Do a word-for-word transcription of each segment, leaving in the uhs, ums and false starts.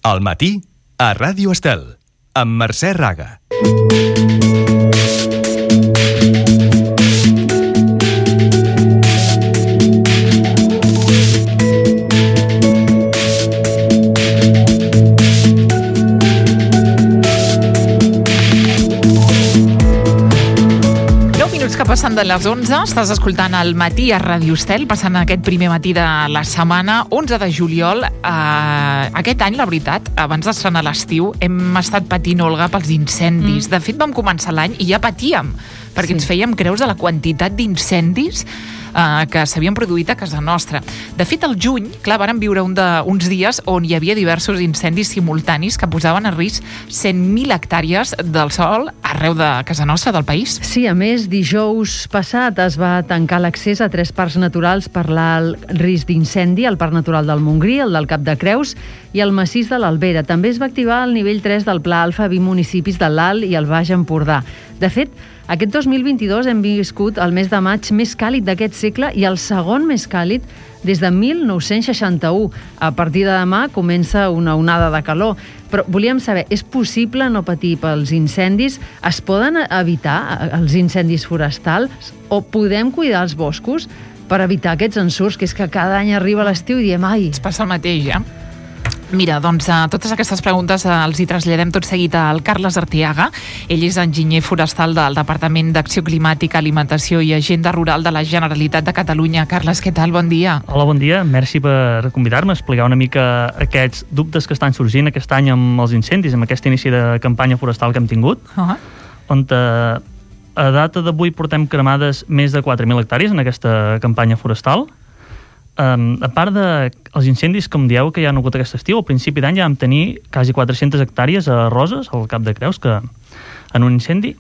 Al matí, a Ràdio Estel, amb Mercè Raga. Passant de les onze, estàs escoltant el matí a Ràdio Estel, passant aquest primer matí de la setmana, onze de juliol. Eh, aquest any, la veritat, abans d'estrenar l'estiu, hem estat patint, Olga, pels incendis. Mm. De fet, vam començar l'any i ja patíem, perquè sí. ens fèiem creus de la quantitat d'incendis eh, que s'havien produït a casa nostra. De fet, al juny, clar, vàrem viure un de, uns dies on hi havia diversos incendis simultanis que posaven a risc cent mil hectàrees del sòl arreu de casa nostra, del país. Sí, a més, dijous passat es va tancar l'accés a tres parcs naturals per l'alt risc d'incendi, el Parc Natural del Montgrí, el del Cap de Creus i el massís de l'Albera. També es va activar el nivell tres del Pla Alfa a vint municipis de l'Alt i el Baix Empordà. De fet, aquest dos mil vint-i-dos hem viscut el mes de maig més càlid d'aquest segle i el segon més càlid des de mil nou-cents seixanta-u. A partir de demà comença una onada de calor. Però volíem saber, és possible no patir pels incendis? Es poden evitar els incendis forestals? O podem cuidar els boscos per evitar aquests ensurts, que és que cada any arriba l'estiu i diem, ai... Es passa el mateix, ja. Mira, doncs, a totes aquestes preguntes els hi traslladem tot seguit al Carles Arteaga. Ell és enginyer forestal del Departament d'Acció Climàtica, Alimentació i Agenda Rural de la Generalitat de Catalunya. Carles, què tal? Bon dia. Hola, bon dia. Merci per convidar-me a explicar una mica aquests dubtes que estan sorgint aquest any amb els incendis, amb aquest inici de campanya forestal que hem tingut, uh-huh. on a, a data d'avui portem cremades més de quatre mil hectàrees en aquesta campanya forestal. Um, a part dels incendis, com dieu, que hi ha hagut aquest estiu, al principi d'any ja vam tenir quasi quatre-centes hectàrees a Roses, al Cap de Creus, que en un incendi.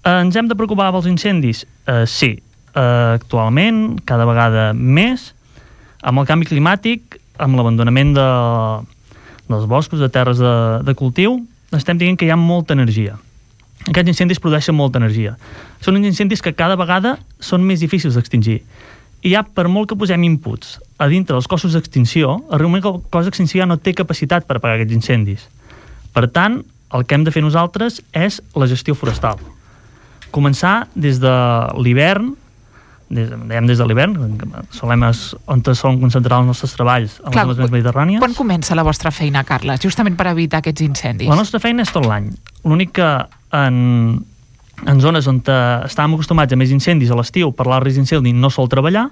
Uh, ens hem de preocupar pels incendis? Uh, sí. Uh, actualment, cada vegada més, amb el canvi climàtic, amb l'abandonament de, dels boscos, de terres de, de cultiu, estem dient que hi ha molta energia. Aquests incendis produeixen molta energia. Són uns incendis que cada vegada són més difícils d'extingir. I ja, per molt que posem inputs a dintre dels cossos d'extinció, realment el cos d'extinció ja no té capacitat per apagar aquests incendis. Per tant, el que hem de fer nosaltres és la gestió forestal. Començar des de l'hivern, des, dèiem des de l'hivern, solem es, on solen concentrar els nostres treballs en Clar, les zones mediterrànies. Quan comença la vostra feina, Carles, justament per evitar aquests incendis? La nostra feina és tot l'any. L'únic que en... en zones on estàvem acostumats a més incendis a l'estiu, per l'alt risc d'incendi no sol treballar,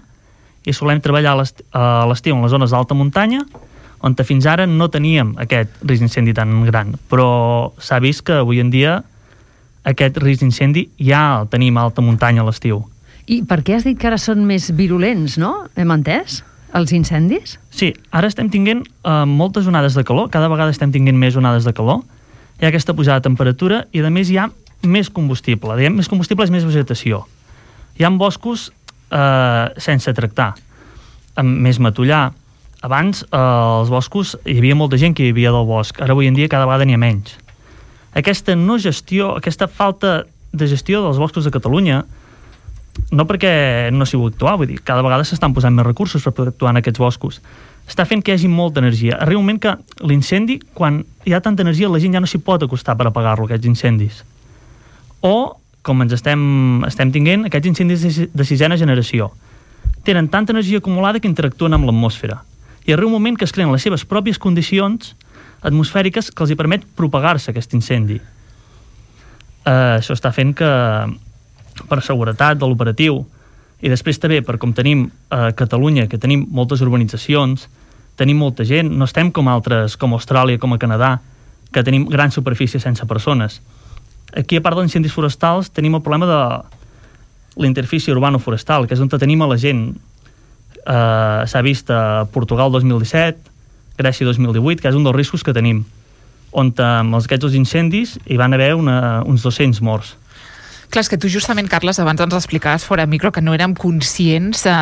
i solem treballar a l'estiu en les zones d'alta muntanya, on fins ara no teníem aquest risc d'incendi tan gran. Però s'ha vist que avui en dia aquest risc d'incendi ja el tenim a alta muntanya a l'estiu. I per què has dit que ara són més virulents, no? Hem entès? Els incendis? Sí, ara estem tinguent eh, moltes onades de calor, cada vegada estem tinguent més onades de calor, hi ha aquesta pujada de temperatura i a més hi ha més combustible. Diem, més combustible és més vegetació. Hi ha boscos eh, sense tractar, amb més matollar. Abans eh, els boscos hi havia molta gent que hi havia del bosc, ara avui en dia cada vegada n'hi ha menys. Aquesta no gestió, aquesta falta de gestió dels boscos de Catalunya, no perquè no s'hi vol actuar, vull dir, cada vegada s'estan posant més recursos per poder actuar en aquests boscos, està fent que hi hagi molta energia. Arriba un moment que l'incendi, quan hi ha tanta energia, la gent ja no s'hi pot acostar per apagar-lo, aquests incendis. O, com ens estem, estem tinguent, aquests incendis de sisena generació. Tenen tanta energia acumulada que interactuen amb l'atmosfera. I arriba un moment que es creen les seves pròpies condicions atmosfèriques que els hi permet propagar-se aquest incendi. Uh, això està fent que, per seguretat de l'operatiu, i després també per com tenim a Catalunya, que tenim moltes urbanitzacions, tenim molta gent, no estem com altres, com Austràlia, com a Canadà, que tenim grans superfícies sense persones. Aquí, a part dels incendis forestals, tenim el problema de l'interfície urbano-forestal, que és on tenim a la gent. Uh, s'ha vist a Portugal dos mil disset, Grècia dos mil divuit, que és un dels riscos que tenim, on amb aquests incendis hi van haver una, uns dos-cents morts. Clar, és que tu justament, Carles, abans ens explicaves fora micro que no érem conscients de,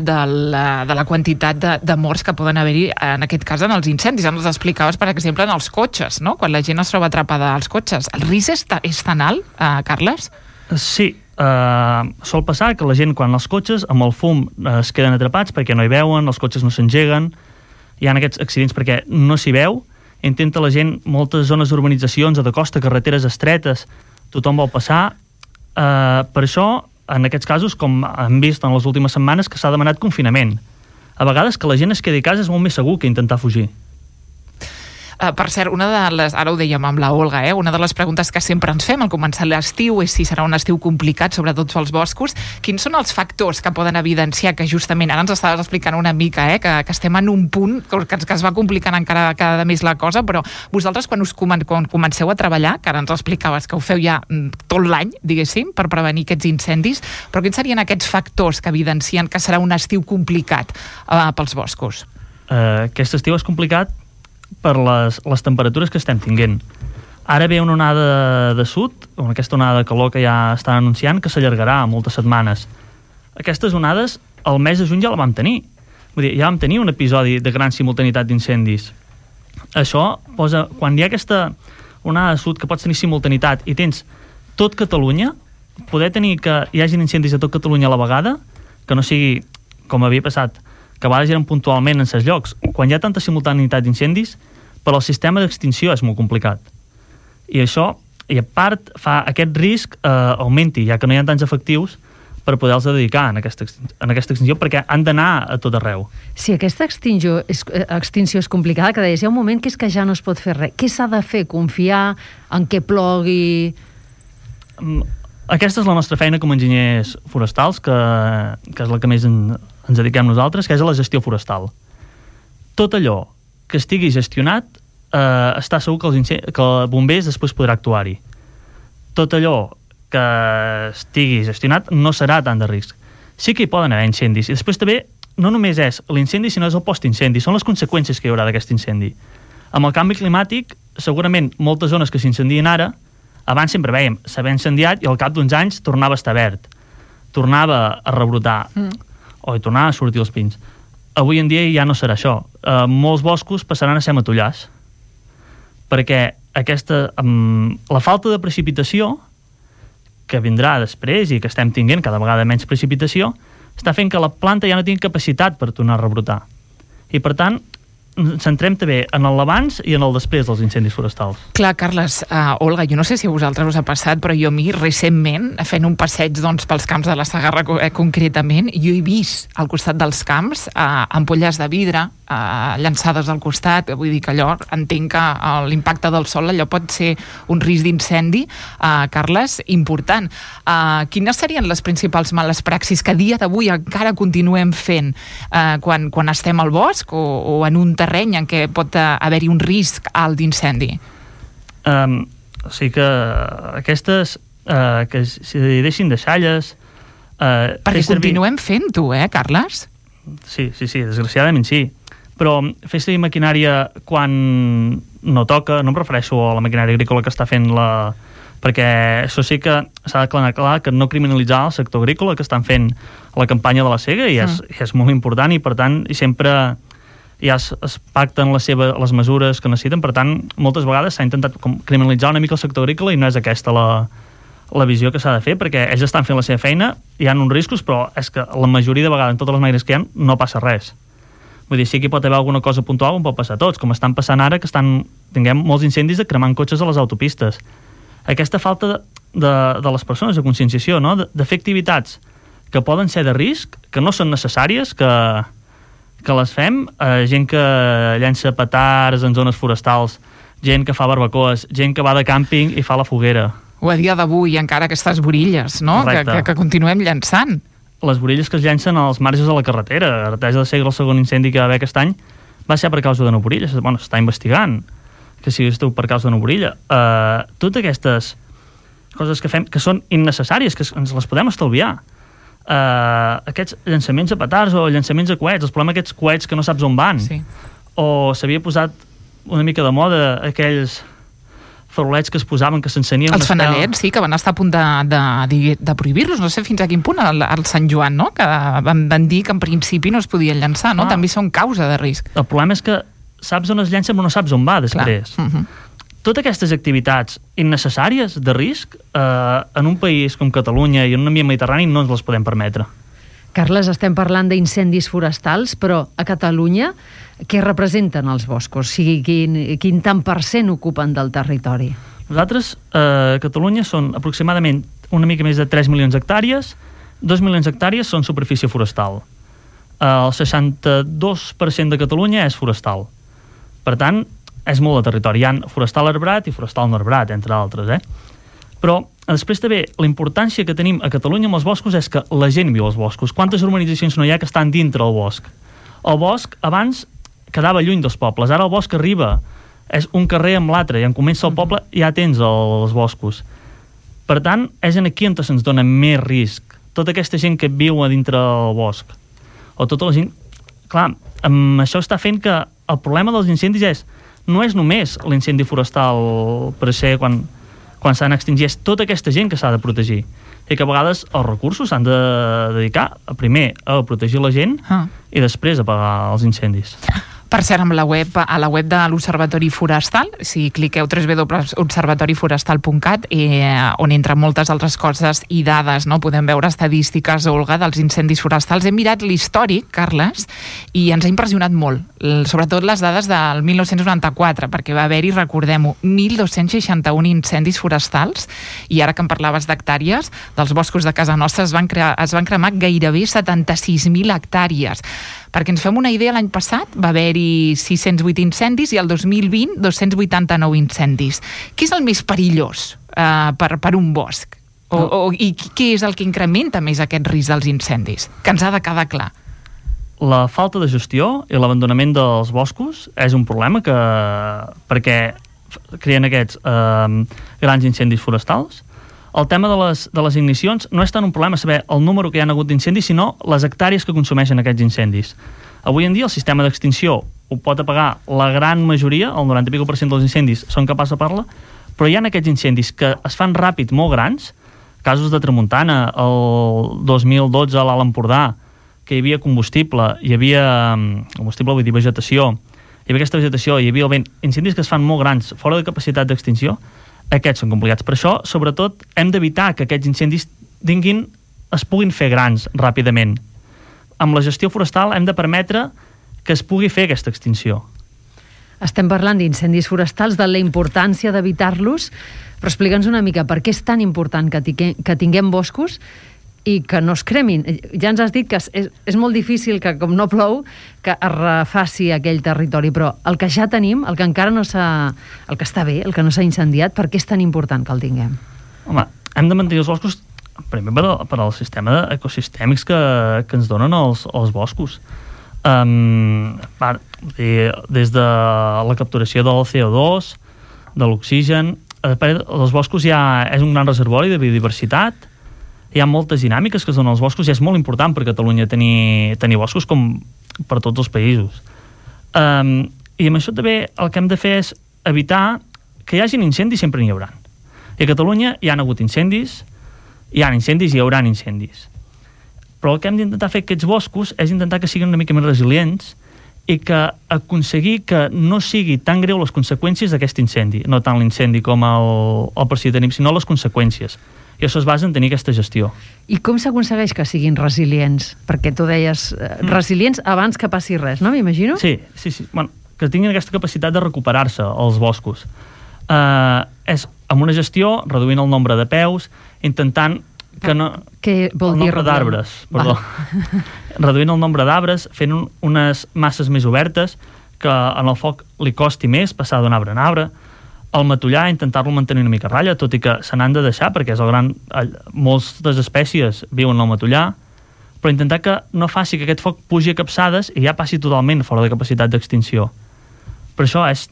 de, la, de la quantitat de, de morts que poden haver-hi, en aquest cas, en els incendis. Ens explicaves, per exemple, en els cotxes, no? Quan la gent es troba atrapada als cotxes. El risc és, ta, és tan alt, eh, Carles? Sí. Uh, sol passar que la gent, quan els cotxes, amb el fum, uh, es queden atrapats perquè no hi veuen, els cotxes no s'engeguen, hi ha aquests accidents perquè no s'hi veu, intenta la gent, moltes zones d'urbanitzacions o de costa, carreteres estretes, tothom vol passar. Eh, per això, en aquests casos, com hem vist en les últimes setmanes, que s'ha demanat confinament. A vegades que la gent es quedi a casa és molt més segur que intentar fugir. Uh, per cert, una de les, ara ho dèiem amb la Olga, eh? una de les preguntes que sempre ens fem al començar l'estiu és si serà un estiu complicat, sobretot pels boscos. Quins són els factors que poden evidenciar que justament, ara ens estaves explicant una mica, eh? que, que estem en un punt que, que es va complicant encara cada més la cosa, però vosaltres quan us comen, quan comenceu a treballar, que ara ens explicaves que ho feu ja tot l'any, diguéssim, per prevenir aquests incendis, però quins serien aquests factors que evidencien que serà un estiu complicat uh, pels boscos? Uh, aquest estiu és complicat per les, les temperatures que estem tinguent. Ara ve una onada de sud, aquesta onada de calor que ja estan anunciant, que s'allargarà moltes setmanes. Aquestes onades, el mes de juny ja la vam tenir. Vull dir, ja vam tenir un episodi de gran simultaneïtat d'incendis. Això posa, quan hi ha aquesta onada de sud que pots tenir simultaneïtat i tens tot Catalunya, poder tenir que hi hagin incendis a tot Catalunya a la vegada, que no sigui com havia passat, que a vegades eren puntualment en certs llocs. Quan hi ha tanta simultaneïtat d'incendis, per al sistema d'extinció és molt complicat. I això, i a part, fa aquest risc eh, augmenti, ja que no hi ha tants efectius per poder-los dedicar en aquesta, en aquesta extinció, perquè han d'anar a tot arreu. Si aquesta extinció és, extinció és complicada, que deies, hi ha un moment que és que ja no es pot fer res. Què s'ha de fer? Confiar en què plogui? Aquesta és la nostra feina com a enginyers forestals, que, que és la que més en, ens dediquem nosaltres, que és a la gestió forestal. Tot allò que estigui gestionat, eh, està segur que els, que els bombers després podrà actuar-hi. Tot allò que estigui gestionat no serà tant de risc. Sí que hi poden haver incendis, i després també no només és l'incendi, sinó és el post-incendi, són les conseqüències que hi haurà d'aquest incendi. Amb el canvi climàtic, segurament moltes zones que s'incendien ara, abans sempre veiem, s'havia incendiat i al cap d'uns anys tornava a estar verd, tornava a rebrotar, mm. o hi tornava a sortir els pins. Avui en dia ja no serà això. Uh, molts boscos passaran a ser matollars, perquè aquesta, um, la falta de precipitació que vindrà després i que estem tinguent cada vegada menys precipitació, està fent que la planta ja no tingui capacitat per tornar a rebrotar. I per tant, centrem també en l'abans i en el després dels incendis forestals. Clar, Carles, uh, Olga, jo no sé si a vosaltres us ha passat, però jo a mi recentment, fent un passeig doncs, pels camps de la Segarra eh, concretament, jo he vist al costat dels camps uh, ampolles de vidre uh, llançades al costat, vull dir que allò entenc que uh, l'impacte del sol allò pot ser un risc d'incendi, uh, Carles, important. Uh, quines serien les principals males praxis que a dia d'avui encara continuem fent uh, quan, quan estem al bosc o, o en un terreny en què pot uh, haver-hi un risc alt d'incendi? Um, o sigui que aquestes uh, que s'hi deixin deixalles uh, perquè servir... continuem fent-ho, eh, Carles? Sí, sí, sí, desgraciadament sí. Però fer servir maquinària quan no toca, no em refereixo a la maquinària agrícola que està fent la... perquè això sí que s'ha d'aclarar clar que no criminalitzar el sector agrícola que estan fent la campanya de la sega i és, mm. i és molt important i per tant i sempre ja es, es pacten les, seva, les mesures que necessiten, per tant moltes vegades s'ha intentat com, criminalitzar una mica el sector agrícola i no és aquesta la, la visió que s'ha de fer, perquè ells estan fent la seva feina, hi ha uns riscos, però és que la majoria de vegades en totes les màquines que hi ha no passa res. Vull dir, sí que hi pot haver alguna cosa puntual on pot passar tots, com estan passant ara que estan, tinguem molts incendis de cremant cotxes a les autopistes. Aquesta falta de, de, de les persones, de conscienciació, no? de, de fer activitats que poden ser de risc, que no són necessàries, que, que les fem, eh, gent que llença petards en zones forestals, gent que fa barbacoes, gent que va de càmping i fa la foguera. O a dia d'avui encara aquestes borilles, no? Que, que, que continuem llançant. Les borilles que es llencen als marges de la carretera. Artesa de Segre, el segon incendi que va haver aquest any, va ser per causa d'una borilla. Bueno, s'està investigant que si esteu per causa d'una borilla. Uh, totes aquestes coses que fem, que són innecessàries, que ens les podem estalviar. Uh, aquests llançaments a petards o llançaments a coets, els problemes aquests coets que no saps on van. Sí. O s'havia posat una mica de moda aquells farolets que es posaven, que s'encenien... Els fanalets, sí, que van estar a punt de, de, de prohibir-los, no sé fins a quin punt, al, al Sant Joan, no? Que van, van dir que en principi no es podien llançar, no? Ah. També són causa de risc. El problema és que saps on es llença però no saps on va després. Uh -huh. Totes aquestes activitats innecessàries de risc eh, en un país com Catalunya i en un ambient mediterrani no ens les podem permetre. Carles, estem parlant d'incendis forestals, però a Catalunya què representen els boscos? O sigui, quin, quin tant per cent ocupen del territori? Nosaltres, eh, a Catalunya, són aproximadament una mica més de tres milions d'hectàrees. dos milions d'hectàrees són superfície forestal. El seixanta-dos per cent de Catalunya és forestal. Per tant, és molt de territori. Hi ha forestal arbrat i forestal no arbrat, entre altres, eh? Però després també la importància que tenim a Catalunya amb els boscos és que la gent viu als boscos. Quantes urbanitzacions no hi ha que estan dintre el bosc? El bosc abans quedava lluny dels pobles, ara el bosc arriba, és un carrer amb l'altre, i en comença el poble ja tens els boscos. Per tant, és aquí on se'ns dona més risc. Tota aquesta gent que viu a dintre el bosc, o tota la gent... Clar, amb això està fent que el problema dels incendis és, no és només l'incendi forestal per ser quan... quan s'han extingit, és tota aquesta gent que s'ha de protegir. I que a vegades els recursos s'han de dedicar, primer, a protegir la gent ah. i després a apagar els incendis. Per cert, amb la web, a la web de l'Observatori Forestal, si cliqueu w w w punt observatori forestal punt cat, eh, on entre moltes altres coses i dades, no? Podem veure estadístiques, Olga, dels incendis forestals. Hem mirat l'històric, Carles, i ens ha impressionat molt, sobretot les dades del mil nou-cents noranta-quatre, perquè va haver-hi, recordem-ho, mil dos-cents seixanta-un incendis forestals, i ara que em parlaves d'hectàrees, dels boscos de casa nostra es van, crear, es van cremar gairebé setanta-sis mil hectàrees. Perquè ens fem una idea, l'any passat va haver-hi sis-cents vuit incendis i el dos mil vint dos-cents vuitanta-nou incendis. Què és el més perillós eh, per, per un bosc? O, o, I què és el que incrementa més aquest risc dels incendis? Que ens ha de quedar clar. La falta de gestió i l'abandonament dels boscos és un problema que, perquè creen aquests eh, grans incendis forestals. El tema de les, de les ignicions no és tant un problema saber el número que hi ha hagut d'incendis, sinó les hectàrees que consumeixen aquests incendis. Avui en dia el sistema d'extinció ho pot apagar la gran majoria, el noranta i escaig per cent dels incendis són capaços de parlar, però hi ha aquests incendis que es fan ràpid, molt grans, casos de tramuntana, el dos mil dotze a l'Alt Empordà, que hi havia combustible, hi havia combustible, vull dir vegetació, hi havia aquesta vegetació, hi havia el vent, incendis que es fan molt grans, fora de capacitat d'extinció, aquests són complicats. Per això, sobretot, hem d'evitar que aquests incendis tinguin, es puguin fer grans ràpidament. Amb la gestió forestal hem de permetre que es pugui fer aquesta extinció. Estem parlant d'incendis forestals, de la importància d'evitar-los, però explica'ns una mica per què és tan important que, tingui, que tinguem boscos i que no es cremin. Ja ens has dit que és, és molt difícil que, com no plou, que es refaci aquell territori, però el que ja tenim, el que encara no s'ha... el que està bé, el que no s'ha incendiat, per què és tan important que el tinguem? Home, hem de mantenir els boscos primer per, per al sistema ecosistèmics que, que ens donen els, els boscos. Um, per, des de la capturació del C O dos, de l'oxigen, els boscos ja és un gran reservori de biodiversitat, hi ha moltes dinàmiques que es donen als boscos i és molt important per Catalunya tenir, tenir boscos com per tots els països. Um, I amb això també el que hem de fer és evitar que hi hagin incendis, sempre n'hi haurà. I a Catalunya hi ha hagut incendis, hi ha incendis i hi haurà incendis. Però el que hem d'intentar fer aquests boscos és intentar que siguin una mica més resilients i que aconseguir que no sigui tan greu les conseqüències d'aquest incendi, no tant l'incendi com el, el per si tenim, sinó les conseqüències. I això es basa en tenir aquesta gestió. I com s'aconsegueix que siguin resilients? Perquè tu deies eh, resilients abans que passi res, no? M'imagino? Sí, sí, sí. Bueno, que tinguin aquesta capacitat de recuperar-se els boscos. Uh, és amb una gestió, reduint el nombre de peus, intentant que no... Què vol el dir? El nombre d'arbres, perdó. Reduint el nombre d'arbres, fent un, unes masses més obertes, que en el foc li costi més passar d'un arbre en arbre. El matollar, intentar-lo mantenir una mica a ratlla, tot i que se n'han de deixar, perquè és el gran... moltes espècies viuen al matollar, però intentar que no faci que aquest foc pugi a capçades i ja passi totalment fora de capacitat d'extinció. Per això és,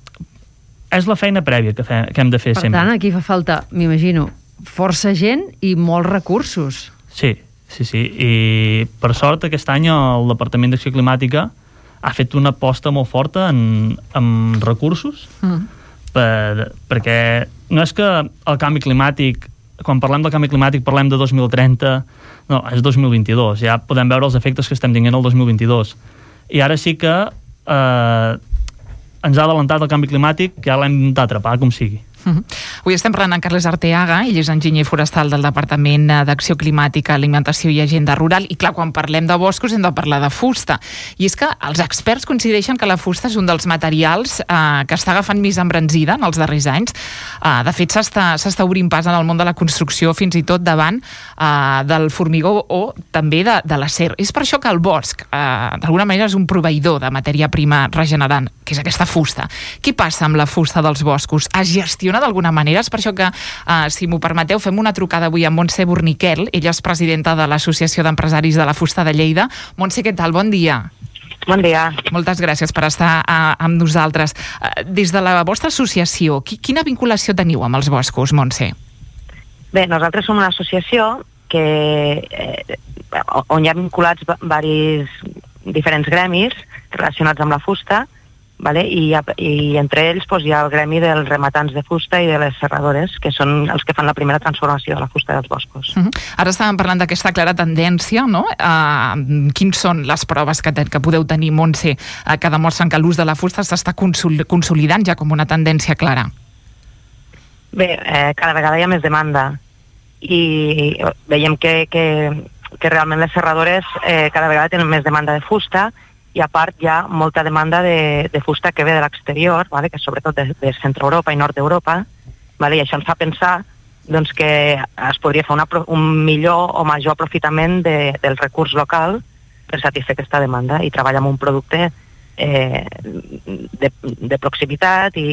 és la feina prèvia que, fe, que hem de fer per sempre. Per tant, aquí fa falta, m'imagino, força gent i molts recursos. Sí, sí, sí. I per sort aquest any el Departament d'Acció Climàtica ha fet una aposta molt forta en, en recursos, mm. per, perquè no és que el canvi climàtic, quan parlem del canvi climàtic parlem de dos mil trenta, no, és dos mil vint-i-dos, ja podem veure els efectes que estem tinguent el dos mil vint-i-dos. I ara sí que eh, ens ha adelantat el canvi climàtic, que ja l'hem d'intentar atrapar, com sigui. Uh-huh. Avui estem parlant amb Carles Arteaga, ell és enginyer forestal del Departament d'Acció Climàtica, Alimentació i Agenda Rural, i clar, quan parlem de boscos hem de parlar de fusta. I és que els experts coincideixen que la fusta és un dels materials eh, que està agafant més embranzida en els darrers anys. Eh, de fet, s'està, s'està obrint pas en el món de la construcció, fins i tot davant eh, del formigó o també de, de l'acer. És per això que el bosc, eh, d'alguna manera, és un proveïdor de matèria prima regenerant, que és aquesta fusta. Què passa amb la fusta dels boscos? Es gestiona d'alguna manera? És per això que, eh, si m'ho permeteu, fem una trucada avui amb Montse Borniquel. Ella és presidenta de l'Associació d'Empresaris de la Fusta de Lleida. Montse, què tal? Bon dia. Bon dia. Moltes gràcies per estar uh, amb nosaltres. Uh, des de la vostra associació, qui, quina vinculació teniu amb els boscos, Montse? Bé, nosaltres som una associació que, eh, on hi ha vinculats varis diferents gremis relacionats amb la fusta, vale? I, i entre ells doncs, hi ha el gremi dels rematants de fusta i de les serradores, que són els que fan la primera transformació de la fusta dels boscos. Uh-huh. Ara estàvem parlant d'aquesta clara tendència, no? Uh, quins són les proves que, te, que podeu tenir, Montse, uh, que demostren que l'ús de la fusta s'està consol- consolidant ja com una tendència clara? Bé, eh, cada vegada hi ha més demanda i veiem que, que, que realment les serradores eh, cada vegada tenen més demanda de fusta, i a part hi ha molta demanda de, de fusta que ve de l'exterior, vale? Que sobretot de, de Centre-Europa i Nord d'Europa, vale? I això ens fa pensar doncs, que es podria fer una, un millor o major aprofitament de, del recurs local per satisfer aquesta demanda i treballar amb un producte eh, de, de proximitat i,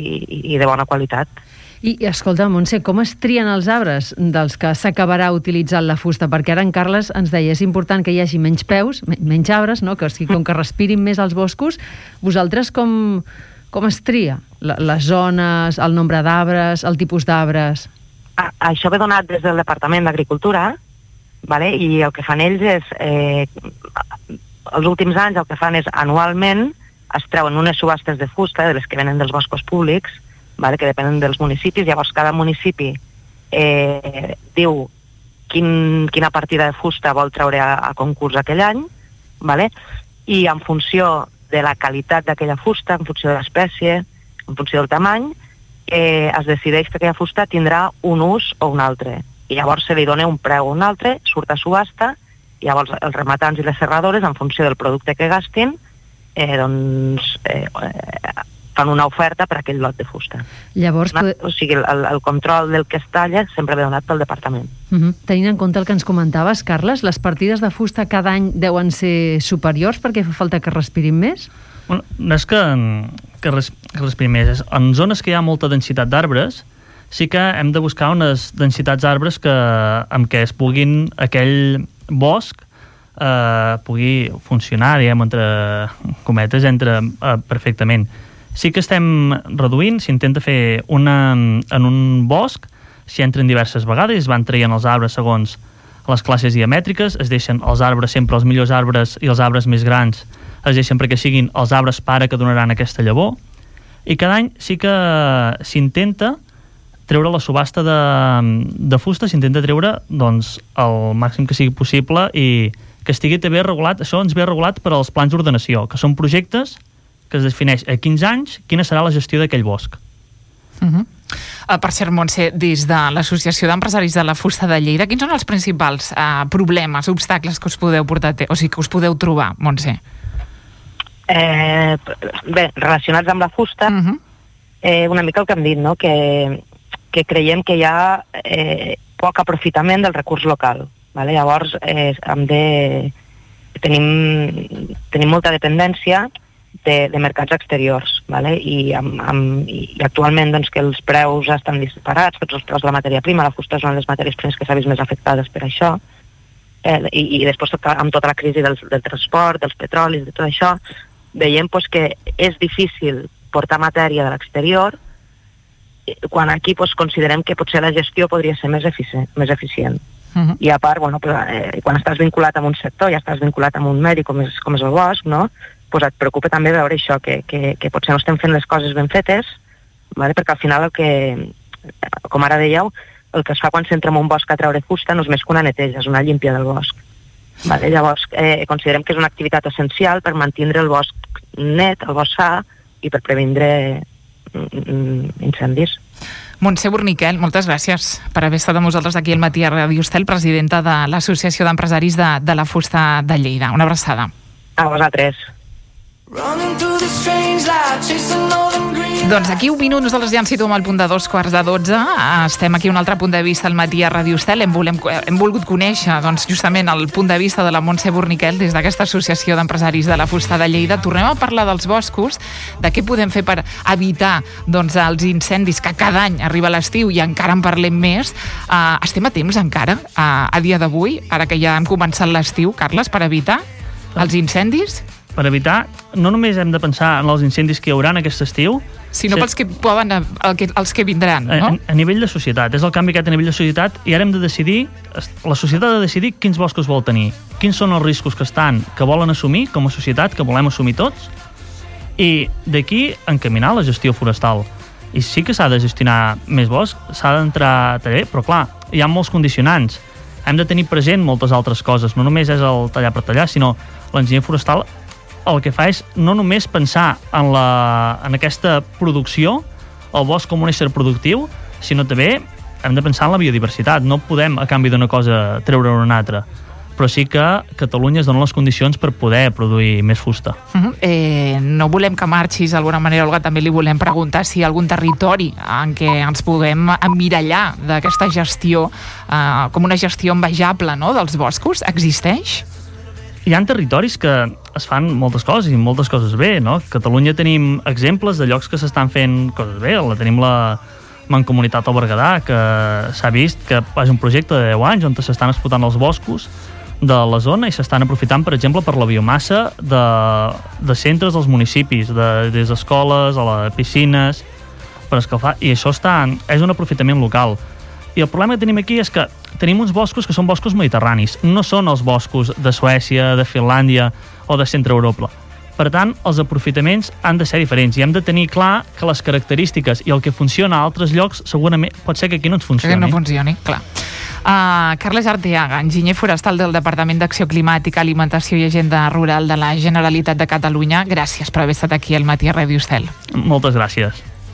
i de bona qualitat. I, escolta, Montse, com es trien els arbres dels que s'acabarà utilitzant la fusta? Perquè ara en Carles ens deia és important que hi hagi menys peus, menys arbres, no? Que, com que respirin més els boscos. Vosaltres com, com es tria? Les zones, el nombre d'arbres, el tipus d'arbres? A, això ve donat des del Departament d'Agricultura, vale? I el que fan ells és... Eh, els últims anys el que fan és anualment es treuen unes subhastes de fusta, de les que venen dels boscos públics, vale, que depenen dels municipis. Llavors cada municipi eh, diu quin, quina partida de fusta vol treure a, a concurs aquell any, vale? I en funció de la qualitat d'aquella fusta, en funció de l'espècie, en funció del tamany, eh, es decideix que aquella fusta tindrà un ús o un altre. I llavors se li dona un preu o un altre, surt a subhasta, i llavors els rematants i les serradores, en funció del producte que gastin, eh, doncs... Eh, eh, fan una oferta per a aquell lot de fusta. Llavors, una, o sigui, el, el control del que es talla sempre ve donat pel departament. Uh-huh. Tenint en compte el que ens comentaves, Carles, les partides de fusta cada any deuen ser superiors perquè fa falta que respirin més? Bueno, no és que, que, res, que respirin més. En zones que hi ha molta densitat d'arbres, sí que hem de buscar unes densitats d'arbres que, amb què es puguin aquell bosc eh, pugui funcionar, diguem, entre cometes, entre eh, perfectament. Sí que estem reduint, s'intenta fer una, en un bosc, s'hi entren diverses vegades, es van traient els arbres segons les classes diamètriques, es deixen els arbres, sempre els millors arbres i els arbres més grans, es deixen perquè siguin els arbres pare que donaran aquesta llavor, i cada any sí que s'intenta treure la subhasta de, de fusta, s'intenta treure doncs, el màxim que sigui possible i que estigui també regulat, això ens ve regulat per als plans d'ordenació, que són projectes que es defineix a quinze anys quina serà la gestió d'aquell bosc. Uh-huh. Uh, per cert, Montse, des de l'Associació d'Empresaris de la Fusta de Lleida, quins són els principals uh, problemes, obstacles que us podeu portar, o sigui, que us podeu trobar, Montse? Eh, bé, relacionats amb la fusta, uh-huh. eh, una mica el que hem dit, no? que, que creiem que hi ha eh, poc aprofitament del recurs local. Vale? Llavors, eh, hem de... Tenim, tenim molta dependència De, de mercats exteriors, vale? I, amb, amb, i actualment doncs, que els preus estan disparats, tots els preus de la matèria prima, la fusta és una de les matèries primes que s'ha vist més afectades per això, eh, i, i després tot, amb tota la crisi del, del transport, dels petrolis, de tot això, veiem pues, que és difícil portar matèria de l'exterior, quan aquí pues, considerem que potser la gestió podria ser més eficient. Més eficient. Uh-huh. I a part, bueno, pues, eh, quan estàs vinculat amb un sector, ja estàs vinculat amb un medi com és, com és el bosc, no? Pues et preocupa també veure això, que, que, que potser no estem fent les coses ben fetes, vale? Perquè al final el que, com ara dèieu, el que es fa quan s'entra en un bosc a treure fusta no és més que una neteja, és una llímpia del bosc. Vale? Llavors, eh, considerem que és una activitat essencial per mantenir el bosc net, el bosc sa, i per previndre mm, incendis. Montse Borniquel, moltes gràcies per haver estat amb nosaltres aquí al matí a Ràdio Estel, presidenta de l'Associació d'Empresaris de, de la Fusta de Lleida. Una abraçada. A vosaltres. Doncs aquí un minut, nosaltres ja ens situem al punt de dos quarts de dotze. Estem aquí un altre punt de vista al matí a Ràdio Estel. Hem, volem, hem volgut conèixer doncs, justament el punt de vista de la Montse Borniquel des d'aquesta Associació d'Empresaris de la Fusta de Lleida. Tornem a parlar dels boscos, de què podem fer per evitar doncs, els incendis que cada any arriba l'estiu i encara en parlem més. Uh, estem a temps encara, uh, a dia d'avui, ara que ja hem començat l'estiu, Carles, per evitar els incendis? Per evitar, no només hem de pensar en els incendis que hi haurà aquest estiu, sinó pels que poden, el que, els que vindran, no? A, a nivell de societat. És el canvi que ha a nivell de societat i ara hem de decidir, la societat ha de decidir quins boscos vol tenir, quins són els riscos que estan, que volen assumir com a societat, que volem assumir tots, i d'aquí encaminar la gestió forestal. I sí que s'ha de gestionar més bosc, s'ha d'entrar també, però clar, hi ha molts condicionants. Hem de tenir present moltes altres coses, no només és el tallar per tallar, sinó l'enginyer forestal el que fa és no només pensar en, la, en aquesta producció, el bosc com un ésser productiu, sinó també hem de pensar en la biodiversitat. No podem, a canvi d'una cosa, treure una altra. Però sí que Catalunya es dona les condicions per poder produir més fusta. Uh-huh. eh, no volem que marxis d'alguna manera, Olga, també li volem preguntar si hi ha algun territori en què ens puguem emmirallar d'aquesta gestió, eh, com una gestió envejable, no?, dels boscos. Existeix? Hi ha territoris que es fan moltes coses i moltes coses bé, no? A Catalunya tenim exemples de llocs que s'estan fent coses bé. La tenim la Mancomunitat al Berguedà, que s'ha vist que és un projecte de deu anys on s'estan explotant els boscos de la zona i s'estan aprofitant, per exemple, per la biomassa de, de centres dels municipis, de, des d'escoles a les piscines, per escalfar, i això està, és un aprofitament local. I el problema que tenim aquí és que tenim uns boscos que són boscos mediterranis, no són els boscos de Suècia, de Finlàndia o de Centre Europa. Per tant, els aprofitaments han de ser diferents i hem de tenir clar que les característiques i el que funciona a altres llocs segurament pot ser que aquí no ens funcioni. Que no funcioni, clar. Uh, Carles Arteaga, enginyer forestal del Departament d'Acció Climàtica, Alimentació i Agenda Rural de la Generalitat de Catalunya. Gràcies per haver estat aquí al matí a Ràdio Estel. Moltes gràcies.